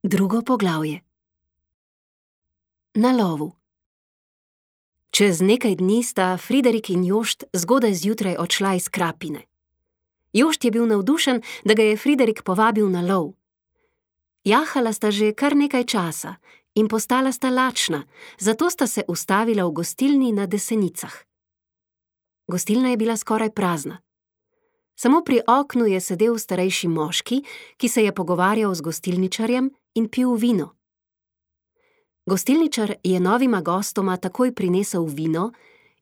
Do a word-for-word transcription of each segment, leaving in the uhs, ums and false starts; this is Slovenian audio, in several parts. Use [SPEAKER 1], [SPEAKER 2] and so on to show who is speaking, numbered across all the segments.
[SPEAKER 1] Drugo poglavje. Na lovu. Čez nekaj dni sta Friderik in Jošt zgodaj zjutraj odšla iz Krapine. Jošt je bil navdušen, da ga je Friderik povabil na lov. Jahala sta že kar nekaj časa in postala sta lačna, zato sta se ustavila v gostilni na Desenicah. Gostilna je bila skoraj prazna. Samo pri oknu je sedel starejši moški, ki se je pogovarjal z gostilničarjem in pil vino. Gostilničar je novima gostoma takoj prinesel vino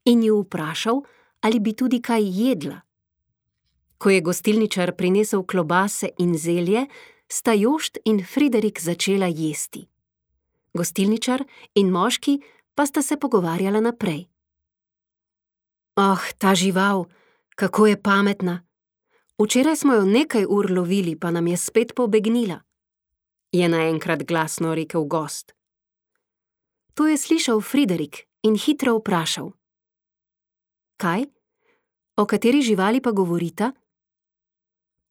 [SPEAKER 1] in ju vprašal, ali bi tudi kaj jedla. Ko je gostilničar prinesel klobase in zelje, sta Jošt in Friderik začela jesti. Gostilničar in moški pa sta se pogovarjala naprej. Oh, ta žival, kako je pametna! Včeraj smo jo nekaj ur lovili, pa nam je spet pobegnila, je naenkrat glasno rekel gost. To je slišal Friderik in hitro vprašal. Kaj? O kateri živali pa govorita?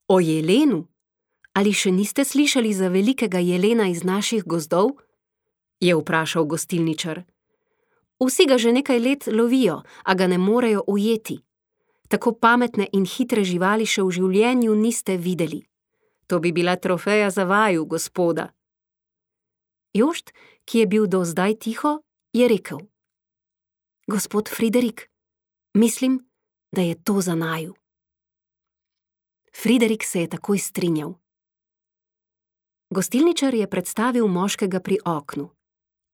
[SPEAKER 1] O jelenu? Ali še niste slišali za velikega jelena iz naših gozdov? Je vprašal gostilničar. Vsi ga že nekaj let lovijo, a ga ne morejo ujeti. Tako pametne in hitre živali še v življenju niste videli. To bi bila trofeja za vaju, gospoda. Jošt, ki je bil do zdaj tiho, je rekel. Gospod Friderik, mislim, da je to za naju. Friderik se je takoj strinjal. Gostilničar je predstavil moškega pri oknu.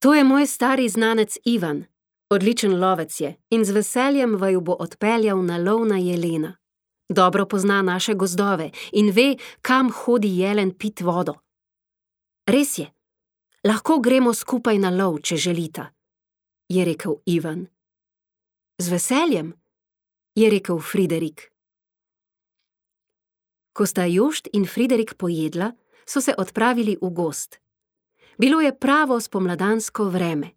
[SPEAKER 1] To je moj stari znanec Ivan. Odličen lovec je in z veseljem vaju bo odpeljal na lov na jelena. Dobro pozna naše gozdove in ve, kam hodi jelen pit vodo. Res je, lahko gremo skupaj na lov, če želita, je rekel Ivan. Z veseljem, je rekel Friderik. Ko sta Jošt in Friderik pojedla, so se odpravili v gozd. Bilo je pravo spomladansko vreme.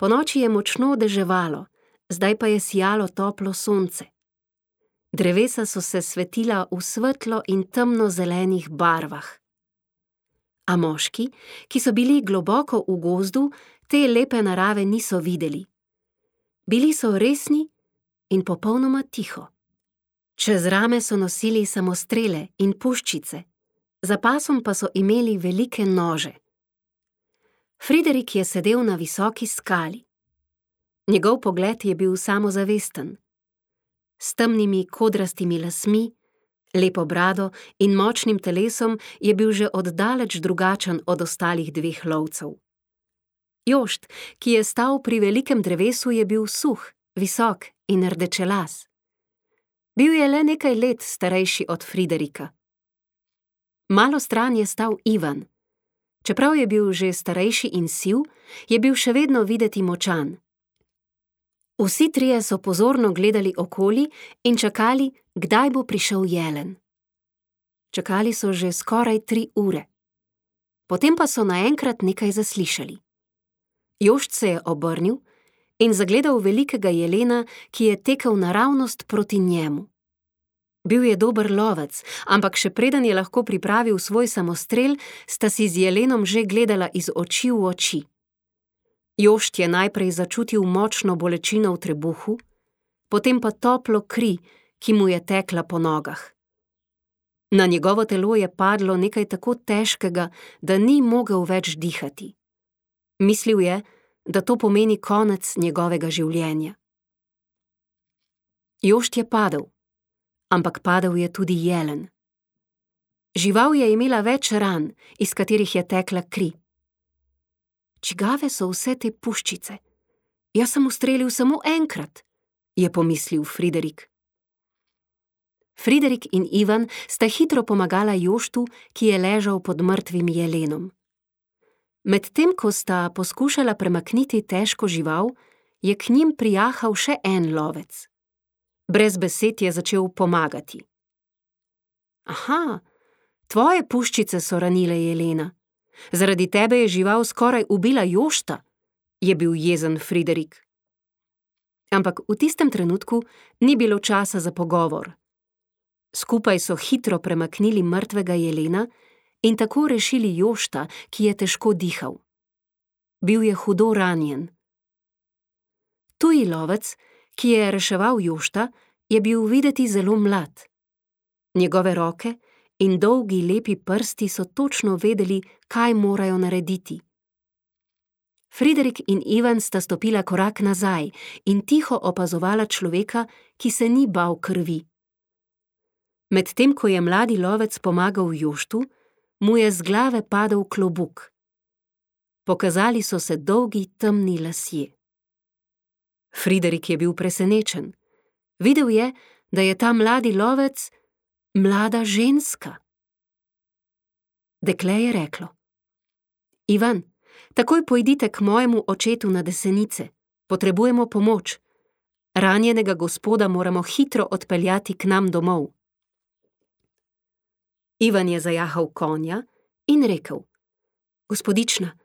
[SPEAKER 1] Ponoči je močno deževalo, zdaj pa je sijalo toplo sonce. Drevesa so se svetila v svetlo in temno zelenih barvah. A moški, ki so bili globoko v gozdu, te lepe narave niso videli. Bili so resni in popolnoma tiho. Čez rame so nosili samostrele in puščice, za pasom pa so imeli velike nože. Friderik je sedel na visoki skali. Njegov pogled je bil samozavesten. S temnimi kodrastimi lasmi, lepo brado in močnim telesom je bil že oddaleč drugačen od ostalih dveh lovcev. Jošt, ki je stal pri velikem drevesu, je bil suh, visok in rdečelas. Bil je le nekaj let starejši od Friderika. Malo stran je stal Ivan. Čeprav je bil že starejši in siv, je bil še vedno videti močan. Vsi trije so pozorno gledali okoli in čakali, kdaj bo prišel jelen. Čakali so že skoraj tri ure. Potem pa so naenkrat nekaj zaslišali. Jošt se je obrnil in zagledal velikega jelena, ki je tekel naravnost proti njemu. Bil je dober lovec, ampak še preden je lahko pripravil svoj samostrel, sta si z jelenom že gledala iz oči v oči. Jošt je najprej začutil močno bolečino v trebuhu, potem pa toplo kri, ki mu je tekla po nogah. Na njegovo telo je padlo nekaj tako težkega, da ni mogel več dihati. Mislil je, da to pomeni konec njegovega življenja. Jošt je padel. Ampak padel je tudi jelen. Žival je imela več ran, iz katerih je tekla kri. Čigave so vse te puščice? Jaz sem ustrelil samo enkrat, je pomislil Friderik. Friderik in Ivan sta hitro pomagala Joštu, ki je ležal pod mrtvim jelenom. Medtem ko sta poskušala premakniti težko žival, je k njim prijahal še en lovec. Brez besed je začel pomagati. Aha, tvoje puščice so ranile jelena. Zaradi tebe je žival skoraj ubila Jošta, je bil jezen Friderik. Ampak v tistem trenutku ni bilo časa za pogovor. Skupaj so hitro premaknili mrtvega jelena in tako rešili Jošta, ki je težko dihal. Bil je hudo ranjen. Tuji lovec, ki je reševal Jošta, je bil videti zelo mlad. Njegove roke in dolgi lepi prsti so točno vedeli, kaj morajo narediti. Friderik in Ivan sta stopila korak nazaj in tiho opazovala človeka, ki se ni bal krvi. Medtem ko je mladi lovec pomagal Joštu, mu je z glave padel klobuk. Pokazali so se dolgi temni lasje. Friderik je bil presenečen. Videl je, da je ta mladi lovec mlada ženska. Dekle je reklo: Ivan, takoj pojdite k mojemu očetu na Desenice. Potrebujemo pomoč. Ranjenega gospoda moramo hitro odpeljati k nam domov. Ivan je zajahal konja in rekel: Gospodična,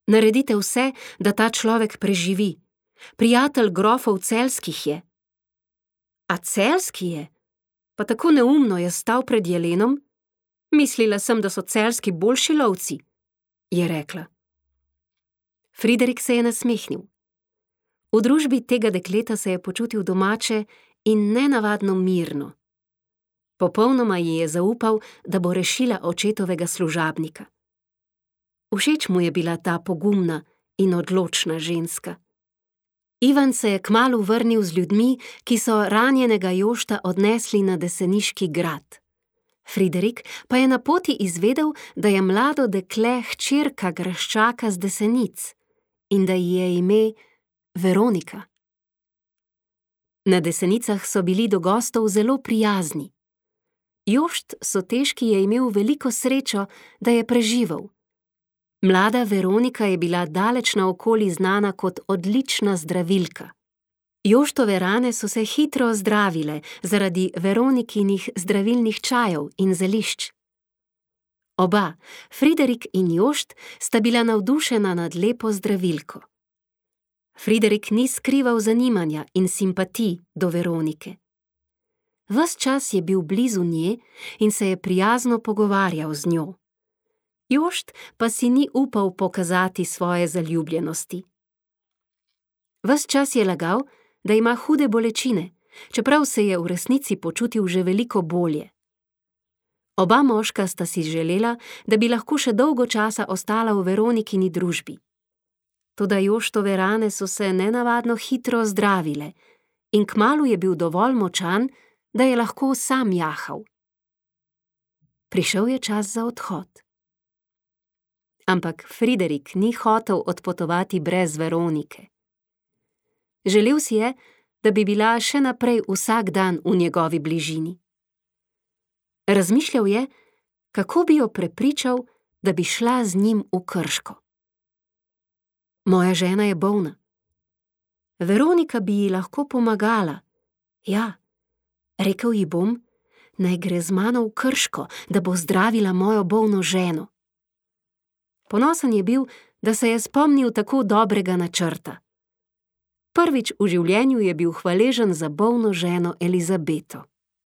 [SPEAKER 1] naredite vse, da ta človek preživi. Prijatelj grofov Celjskih je. A Celjski je? Pa tako neumno je stal pred jelenom? Mislila sem, da so celjski boljši lovci, je rekla. Friderik se je nasmehnil. V družbi tega dekleta se je počutil domače in nenavadno mirno. Popolnoma ji je zaupal, da bo rešila očetovega služabnika. Všeč mu je bila ta pogumna in odločna ženska. Ivan se je kmalu vrnil z ljudmi, ki so ranjenega Jošta odnesli na Deseniški grad. Friderik pa je na poti izvedel, da je mlado dekle hčerka graščaka z Desenic in da ji je ime Veronika. Na Desenicah so bili do gostov zelo prijazni. Jošt Soteški je imel veliko srečo, da je preživel. Mlada Veronika je bila daleč naokoli znana kot odlična zdravilka. Joštove rane so se hitro ozdravile zaradi Veronikinih zdravilnih čajev in zelišč. Oba, Friderik in Jošt, sta bila navdušena nad lepo zdravilko. Friderik ni skrival zanimanja in simpatij do Veronike. Ves čas je bil blizu nje in se je prijazno pogovarjal z njo. Jošt pa si ni upal pokazati svoje zaljubljenosti. Ves čas je lagal, da ima hude bolečine, čeprav se je v resnici počutil že veliko bolje. Oba moška sta si želela, da bi lahko še dolgo časa ostala v Veronikini družbi. Toda Joštove rane so se nenavadno hitro zdravile in kmalu je bil dovolj močan, da je lahko sam jahal. Prišel je čas za odhod. Ampak Friderik ni hotel odpotovati brez Veronike. Želel si je, da bi bila še naprej vsak dan v njegovi bližini. Razmišljal je, kako bi jo prepričal, da bi šla z njim v Krško. Moja žena je bolna. Veronika bi ji lahko pomagala. Ja, rekel ji bom, naj gre z mano v Krško, da bo zdravila mojo bolno ženo. Ponosen je bil, da se je spomnil tako dobrega načrta. Prvič v življenju je bil hvaležen za bolno ženo Elizabeto.